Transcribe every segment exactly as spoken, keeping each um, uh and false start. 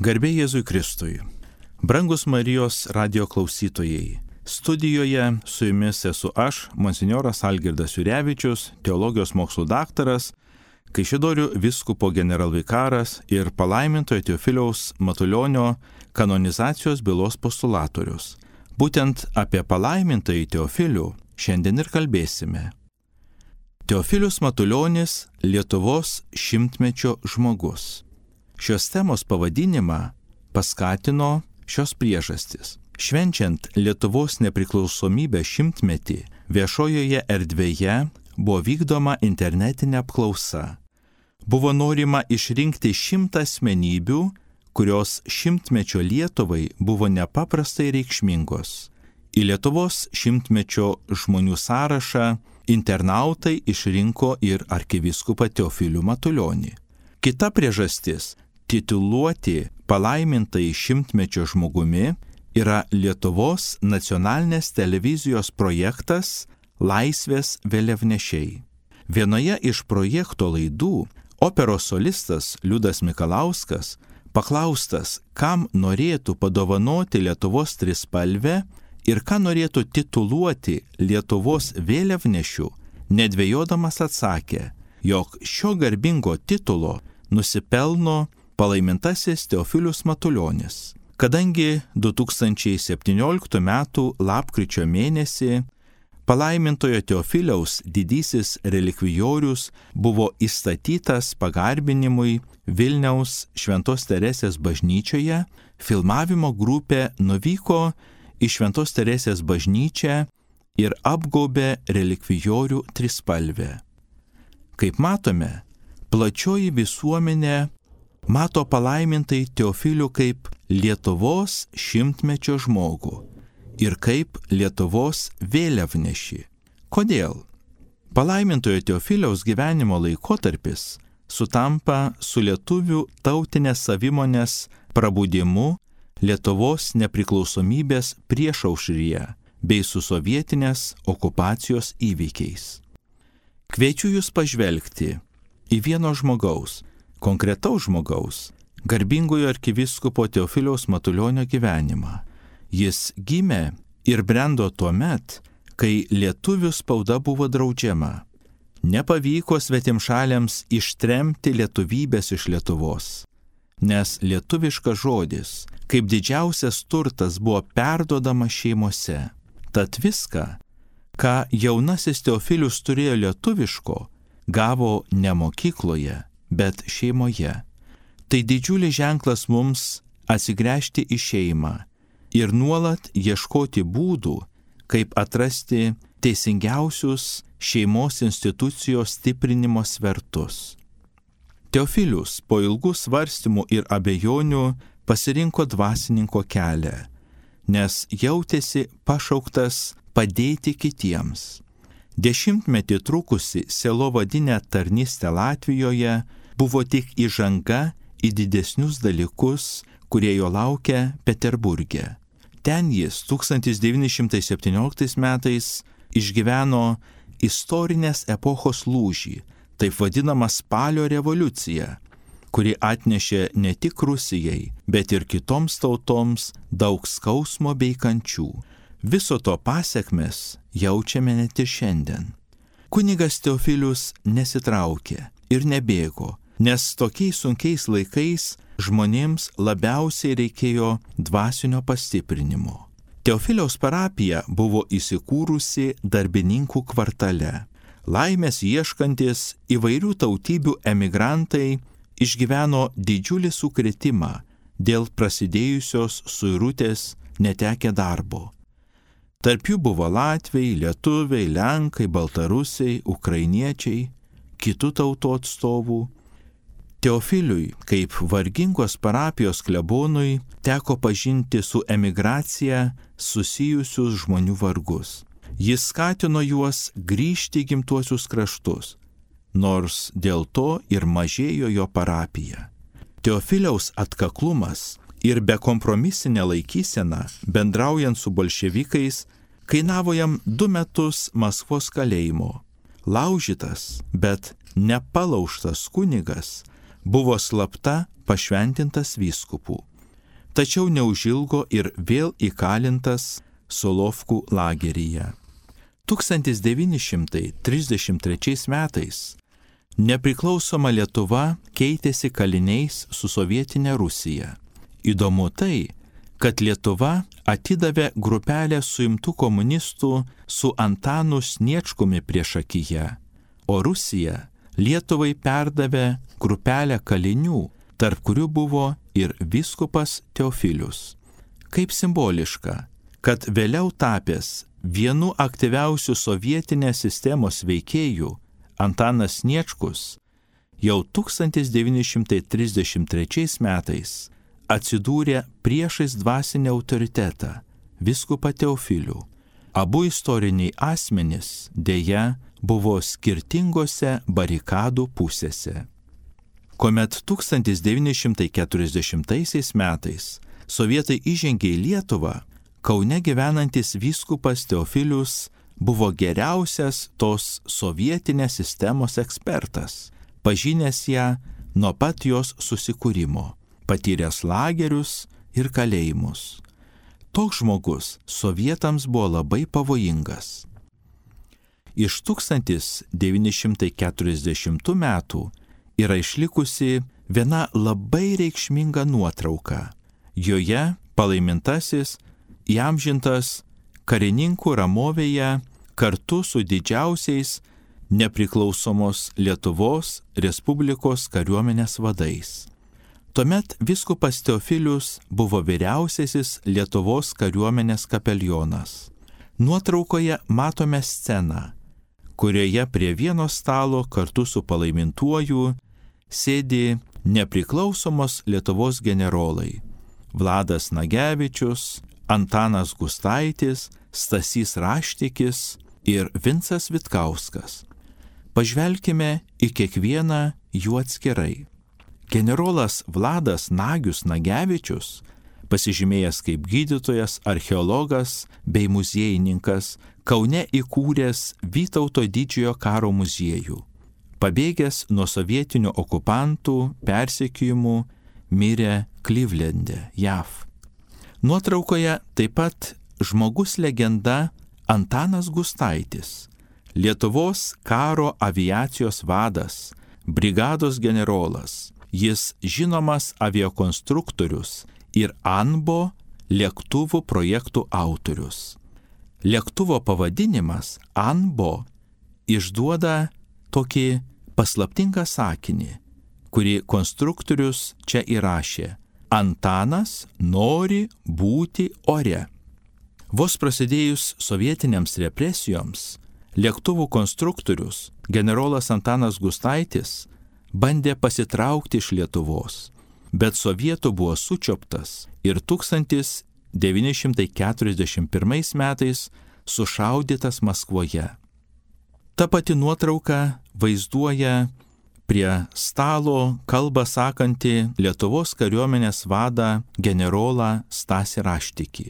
Garbė Jėzui Kristui. Brangus Marijos radio klausytojai, studijoje su jumis esu aš, monsinjoras Algirdas Jurevičius, teologijos mokslų daktaras, Kaišiadorių vyskupo generalvikaras ir palaimintojo Teofiliaus Matulionio kanonizacijos bylos postulatorius. Būtent apie palaimintąjį Teofilių šiandien ir kalbėsime. Teofilius Matulionis – Lietuvos šimtmečio žmogus. Šios temos pavadinimą paskatino šios priežastys. Švenčiant Lietuvos nepriklausomybės šimtmetį, viešojoje erdvėje buvo vykdoma internetinė apklausa. Buvo norima išrinkti šimtą asmenybių, kurios šimtmečio Lietuvai buvo nepaprastai reikšmingos. Į Lietuvos šimtmečio žmonių sąrašą internautai išrinko ir arkivyskupą Teofilių Matulionį. Kita priežastis – tituluoti palaimintąjį šimtmečio žmogumi yra Lietuvos nacionalinės televizijos projektas Laisvės vėliavnešiai. Vienoje iš projekto laidų operos solistas Liudas Mikalauskas paklaustas, kam norėtų padovanoti Lietuvos trispalvę ir ką norėtų tituluoti Lietuvos vėliavnešiu, nedvejodamas atsakė, jog šio garbingo titulo nusipelno palaimintasis Teofilius Matulionis. Kadangi du tūkstančiai septynioliktų metų lapkričio mėnesį palaimintojo Teofiliaus didysis relikvijorius buvo įstatytas pagarbinimui Vilniaus Šventos Teresės bažnyčioje, filmavimo grupė nuvyko į Šventos Teresės bažnyčią ir apgaubė relikvijorių trispalvę. Kaip matome, plačioji visuomenė mato palaimintai Teofilių kaip Lietuvos šimtmečio žmogų ir kaip Lietuvos vėliavnešį. Kodėl? Palaimintojo Teofiliaus gyvenimo laikotarpis sutampa su lietuvių tautinės savimonės prabudimu Lietuvos nepriklausomybės priešaušryje bei su sovietinės okupacijos įvykiais. Kviečiu jūs pažvelgti į vieno žmogaus, konkretaus žmogaus, garbingojo arkivyskupo Teofiliaus Matulionio gyvenimą. Jis gimė ir brendo tuo met, kai lietuvių spauda buvo draudžiama. Nepavyko svetimšaliams ištremti lietuvybės iš Lietuvos, nes lietuviškas žodis, kaip didžiausias turtas, buvo perduodama šeimose. Tad viską, ką jaunasis Teofilius turėjo lietuviško, gavo ne mokykloje, bet šeimoje. Tai didžiulis ženklas mums atsigręžti į šeimą ir nuolat ieškoti būdų, kaip atrasti teisingiausius šeimos institucijos stiprinimo svertus. Teofilius po ilgų svarstymų ir abejonių pasirinko dvasininko kelią, nes jautėsi pašauktas padėti kitiems. Dešimtmetį trukusi sielovadinė tarnystė Latvijoje buvo tik įžanga į didesnius dalykus, kurie jo laukia Peterburge. Ten jis tūkstantis devyni šimtai septynioliktais metais išgyveno istorinės epochos lūžį, taip vadinamą spalio revoliuciją, kuri atnešė ne tik Rusijai, bet ir kitoms tautoms daug skausmo bei kančių. Viso to pasekmes jaučiame net ir šiandien. Kunigas Teofilius nesitraukė ir nebėgo, nes tokiais sunkiais laikais žmonėms labiausiai reikėjo dvasinio pastiprinimo. Teofiliaus parapija buvo įsikūrusi darbininkų kvartale. Laimės ieškantis įvairių tautybių emigrantai išgyveno didžiulį sukrėtimą dėl prasidėjusios suirutės netekę darbo. Tarp jų buvo latviai, lietuviai, lenkai, baltarusiai, ukrainiečiai, kitų tautų atstovų. Teofiliui, kaip vargingos parapijos klebonui, teko pažinti su emigracija susijusius žmonių vargus. Jis skatino juos grįžti į gimtuosius kraštus, nors dėl to ir mažėjo jo parapija. Teofiliaus atkaklumas ir bekompromisinė laikysena, bendraujant su bolševikais, kainavo jam du metus Maskvos kalėjimo. Laužytas, bet nepalaužtas kunigas buvo slapta pašventintas vyskupų. tačiau neužilgo ir vėl įkalintas Solovkų lageryje. tūkstantis devyni šimtai trisdešimt trečiais metais nepriklausoma Lietuva keitėsi kaliniais su sovietinė Rusija. Įdomu tai, kad Lietuva atidavė grupelę suimtų komunistų su Antanu Sniečkumi priešakyje, o Rusija Lietuvai perdavė grupelę kalinių, tarp kurių buvo ir vyskupas Teofilius. Kaip simboliška, kad vėliau tapęs vienu aktyviausių sovietinės sistemos veikėjų Antanas Sniečkus jau tūkstantis devyni šimtai trisdešimt trečiais metais atsidūrė priešais dvasinį autoritetą vyskupą Teofilių. Abu istoriniai asmenys dėja buvo skirtingose barikadų pusėse. Kuomet tūkstantis devyni šimtai keturiasdešimtaisiais metais sovietai įžengė į Lietuvą, Kaune gyvenantis vyskupas Teofilius buvo geriausias tos sovietinės sistemos ekspertas, pažinęs ją nuo pat jos susikūrimo, patyręs lagerius ir kalėjimus. Toks žmogus sovietams buvo labai pavojingas. Iš tūkstantis devyni šimtai keturiasdešimtų metų yra išlikusi viena labai reikšminga nuotrauka. Joje palaimintasis įamžintas karininkų ramovėje kartu su didžiausiais nepriklausomos Lietuvos Respublikos kariuomenės vadais. Tuomet vyskupas Teofilius buvo vyriausiasis Lietuvos kariuomenės kapelionas. Nuotraukoje matome sceną, kurioje prie vieno stalo kartu su palaimintuoju sėdi nepriklausomos Lietuvos generolai Vladas Nagevičius, Antanas Gustaitis, Stasys Raštikis ir Vincas Vitkauskas. Pažvelkime į kiekvieną jų atskirai. Generolas Vladas Nagius Nagevičius, pasižymėjęs kaip gydytojas, archeologas bei muziejininkas, Kaune įkūręs Vytauto didžiojo karo muziejų. Pabėgęs nuo sovietinių okupantų persekiojimų, mirė Klivlende, J A V. Nuotraukoje taip pat žmogus legenda Antanas Gustaitis, Lietuvos karo aviacijos vadas, brigados generolas. Jis žinomas aviakonstruktorius ir Anbo lėktuvų projektų autorius. Lėktuvo pavadinimas Anbo išduoda tokį paslaptingą sakinį, kurį konstruktorius čia įrašė: Antanas nori būti ore. Vos prasidėjus sovietiniams represijoms, lėktuvų konstruktorius generolas Antanas Gustaitis bandė pasitraukti iš Lietuvos, bet sovietų buvo sučioptas ir tūkstantis devyni šimtai keturiasdešimt pirmais metais sušaudytas Maskvoje. Ta pati nuotrauka vaizduoja prie stalo kalbą sakantį Lietuvos kariuomenės vadą generolą Stasį Raštikį.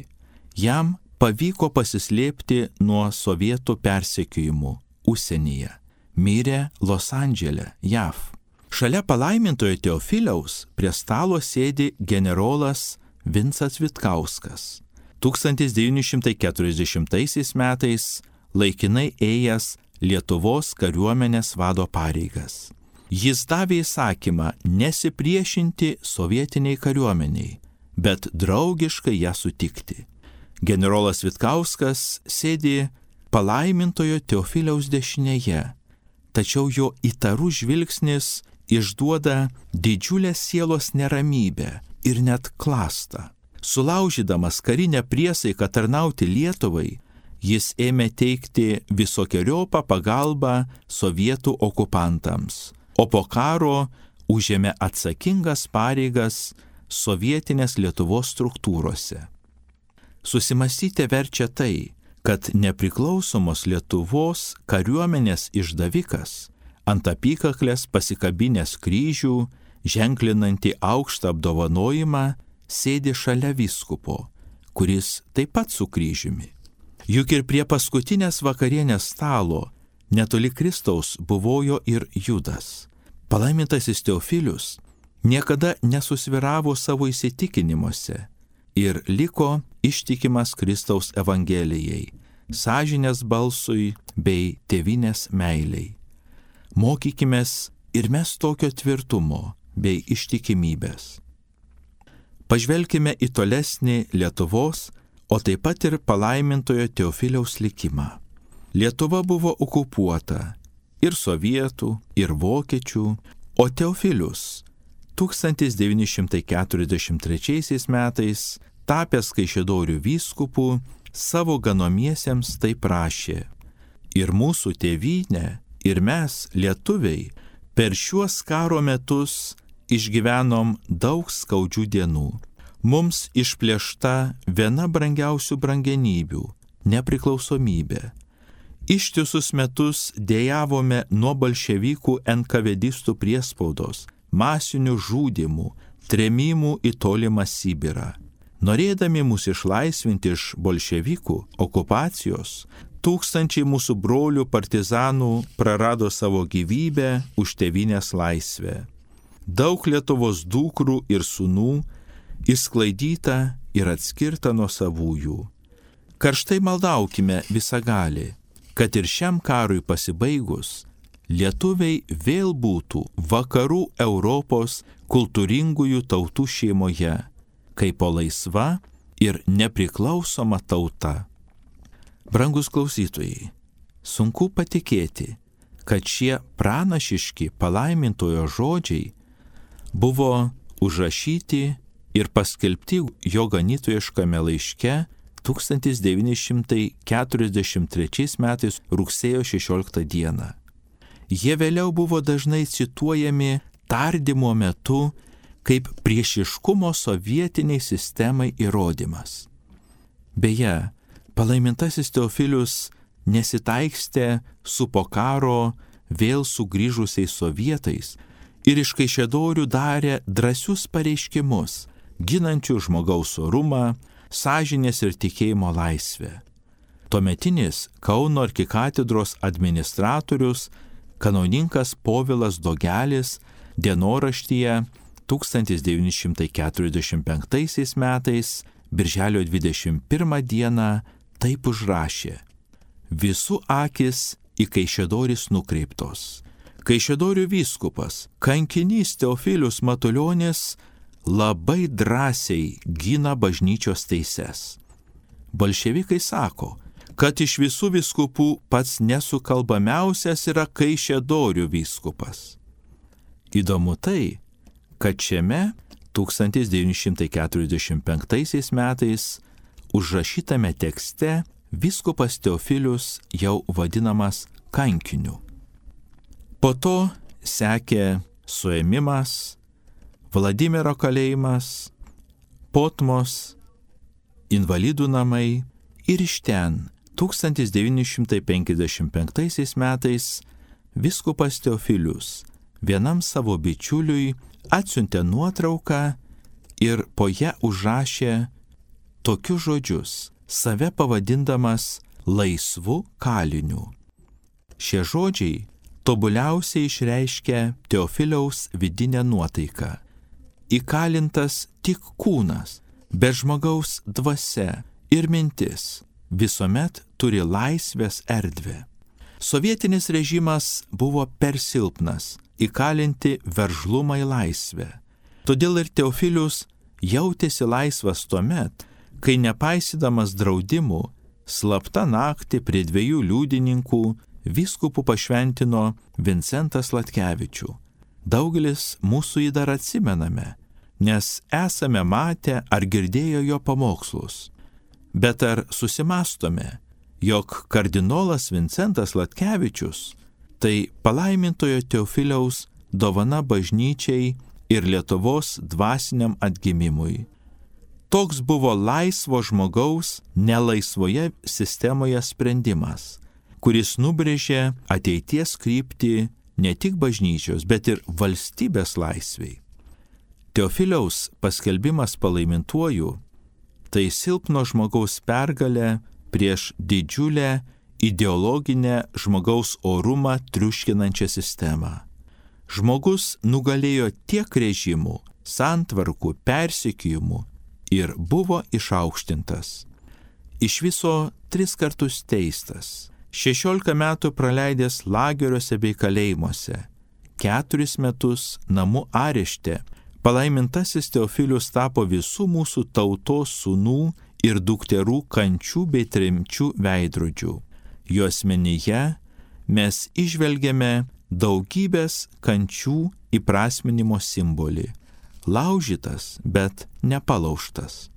Jam pavyko pasislėpti nuo sovietų persekiojimų užsienyje. Mirė Los Andžele, J A V. Šalia palaimintojo Teofiliaus prie stalo sėdi generolas Vincas Vitkauskas. tūkstantis devyni šimtai keturiasdešimtaisiais metais laikinai ėjęs Lietuvos kariuomenės vado pareigas. Jis davė įsakymą nesipriešinti sovietiniai kariuomeniai, bet draugiškai ją sutikti. Generolas Vitkauskas sėdi palaimintojo Teofiliaus dešinėje, tačiau jo įtarus žvilgsnis išduoda didžiulę sielos neramybę ir net klastą. Sulaužydamas karinę priesaiką tarnauti Lietuvai, jis ėmė teikti visokiojopą pagalbą sovietų okupantams, o po karo užėmė atsakingas pareigas sovietinės Lietuvos struktūrose. Susimąstyti verčia tai, kad nepriklausomos Lietuvos kariuomenės išdavikas ant apykaklės pasikabinęs kryžių, ženklinantį aukštą apdovanojimą, sėdi šalia vyskupo, kuris taip pat su kryžiumi. Juk ir prie paskutinės vakarienės stalo netoli Kristaus buvojo ir Judas. Palaimintasis Teofilius niekada nesusviravo savo įsitikinimuose ir liko ištikimas Kristaus Evangelijai, sąžinės balsui bei tėvynės meiliai. Mokykimės ir mes tokio tvirtumo bei ištikimybės. Pažvelkime į tolesnį Lietuvos, o taip pat ir palaimintojo Teofiliaus likimą. Lietuva buvo okupuota ir sovietų, ir vokiečių, o Teofilius tūkstantis devyni šimtai keturiasdešimt trečiaisiais metais, tapęs Kaišiadorių vyskupu, savo ganomiesiems taip rašė: ir mūsų tėvynė, ir mes, lietuviai, per šiuos karo metus išgyvenom daug skaudžių dienų. Mums išplėšta viena brangiausių brangenybių - nepriklausomybė. Ištisus metus dejavome nuo bolševikų enkavedistų priespaudos, masinių žudymų, trėmimų į tolimą Sibirą. Norėdami mus išlaisvinti iš bolševikų okupacijos, tūkstančiai mūsų brolių partizanų prarado savo gyvybę už tėvynės laisvę. Daug Lietuvos dukrų ir sūnų išsklaidyta ir atskirta nuo savųjų. Karštai maldaukime visagalį, kad ir šiam karui pasibaigus, lietuviai vėl būtų vakarų Europos kultūringųjų tautų šeimoje, kaip po laisva ir nepriklausoma tauta. Brangus klausytojai, sunku patikėti, kad šie pranašiški palaimintojo žodžiai buvo užrašyti ir paskelbti jo ganytojiškame laiške tūkstantis devyni šimtai keturiasdešimt trečiais metais rugsėjo šešioliktą dieną. Jie vėliau buvo dažnai cituojami tardymo metu kaip priešiškumo sovietiniai sistemai įrodymas. Beje, palaimintasis Teofilius nesitaikstė su po karo vėl sugrįžusiais sovietais ir iš Kaišiadorių darė drąsius pareiškimus, ginančių žmogaus orumą, sąžinės ir tikėjimo laisvę. Tuometinis Kauno arkikatedros administratorius kanauninkas Povilas Dogelis dienoraštyje tūkstantis devyni šimtai keturiasdešimt penktaisiais metais birželio dvidešimt pirmą dieną taip užrašė: visų akis į Kaišiadoris nukreiptos. Kaišiadorių vyskupas, kankinys Teofilius Matulionis labai drąsiai gina bažnyčios teises. Bolševikai sako, kad iš visų vyskupų pats nesukalbamiausias yra Kaišiadorių vyskupas. Įdomu tai, kad šiame tūkstantis devyni šimtai keturiasdešimt penktaisiais metais užrašytame tekste vyskupas Teofilius jau vadinamas kankiniu. Po to sekė suėmimas, Vladimiro kalėjimas, Potmos, invalidų namai ir iš ten tūkstantis devyni šimtai penkiasdešimt penktaisiais metais vyskupas Teofilius vienam savo bičiuliui atsiuntė nuotrauką ir po ją užrašė tokius žodžius, save pavadindamas laisvu kaliniu. Šie žodžiai tobuliausiai išreiškia Teofiliaus vidinę nuotaiką. Įkalintas tik kūnas, bet žmogaus dvasia ir mintis visuomet turi laisvės erdvę. Sovietinis režimas buvo per silpnas įkalinti veržlumą į laisvę. Todėl ir Teofilius jautėsi laisvas tuomet, kai nepaisydamas draudimų, slapta naktį prie dviejų liudininkų vyskupų pašventino Vincentą Sladkevičių. Daugelis mūsų jį dar atsimename, nes esame matę ar girdėję jo pamokslus. Bet ar susimastome, jog kardinolas Vincentas Sladkevičius tai palaimintojo Teofiliaus dovana bažnyčiai ir Lietuvos dvasiniam atgimimui. Toks buvo laisvo žmogaus nelaisvoje sistemoje sprendimas, kuris nubrėžė ateities kryptį ne tik bažnyčios, bet ir valstybės laisviai. Teofiliaus paskelbimas palaimintuoju tai silpno žmogaus pergalė prieš didžiulę ideologinę žmogaus orumą triuškinančią sistemą. Žmogus nugalėjo tiek režimų, santvarkų, persekiojimų ir buvo išaukštintas. Iš viso tris kartus teistas, šešiolika metų praleidęs lageriuose bei kalėjimuose, keturis metus namų arešte, palaimintasis Teofilius tapo visų mūsų tautos sūnų ir dukterų kančių bei tremčių veidrodžių. Jo asmenyje mes išvelgiame daugybės kančių įprasminimo simbolį. Laužytas, bet nepalaužtas.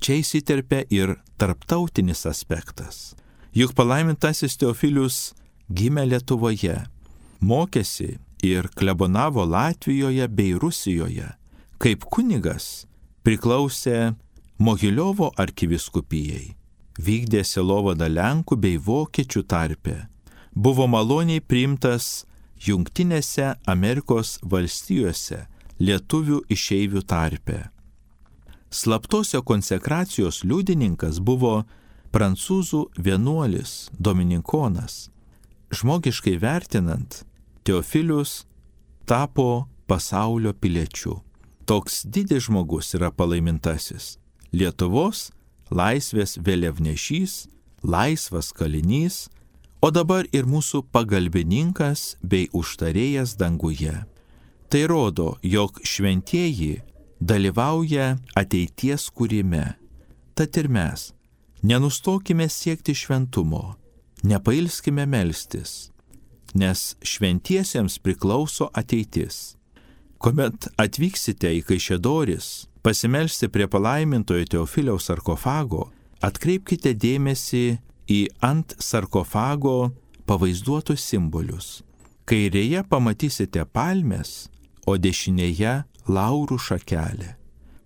Čia įsiterpia ir tarptautinis aspektas. Juk palaimintasis Teofilius gimė Lietuvoje, mokėsi ir klebonavo Latvijoje bei Rusijoje. Kaip kunigas priklausė Mogiliovo arkivyskupijai, vykdė sielovadą Lenkų bei Vokiečių tarpe, buvo maloniai priimtas Jungtinėse Amerikos valstijose lietuvių išeivių tarpe. Slaptosio konsekracijos liudininkas buvo prancūzų vienuolis Dominikonas. Žmogiškai vertinant, Teofilius tapo pasaulio piliečiu. Toks didis žmogus yra palaimintasis. Lietuvos laisvės vėliavnešys, laisvas kalinys, o dabar ir mūsų pagalbininkas bei užtarėjas danguje. Tai rodo, jog šventieji dalyvauja ateities kūrime. Tad ir mes nenustokime siekti šventumo, nepailskime melstis, nes šventiesiems priklauso ateitis. Kuomet atvyksite į Kaišiadoris, pasimelsti prie palaimintojo Teofiliaus sarkofago, atkreipkite dėmesį į ant sarkofago pavaizduotus simbolius. Kairėje pamatysite palmės, o dešinėje laurų šakelę.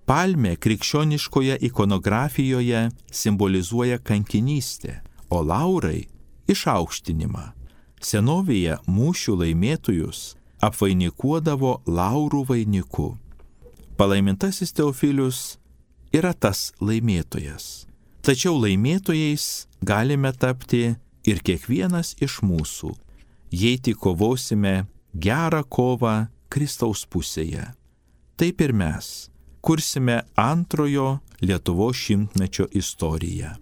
Palmė krikščioniškoje ikonografijoje simbolizuoja kankinystę, o laurai išaukštinimą. Senovėje mūšių laimėtojus apvainikuodavo laurų vainiku. Palaimintasis Teofilius yra tas laimėtojas. Tačiau laimėtojais galime tapti ir kiekvienas iš mūsų, jei tik kovosime gerą kovą Kristaus pusėje. Taip ir mes kursime antrojo Lietuvos šimtmečio istoriją.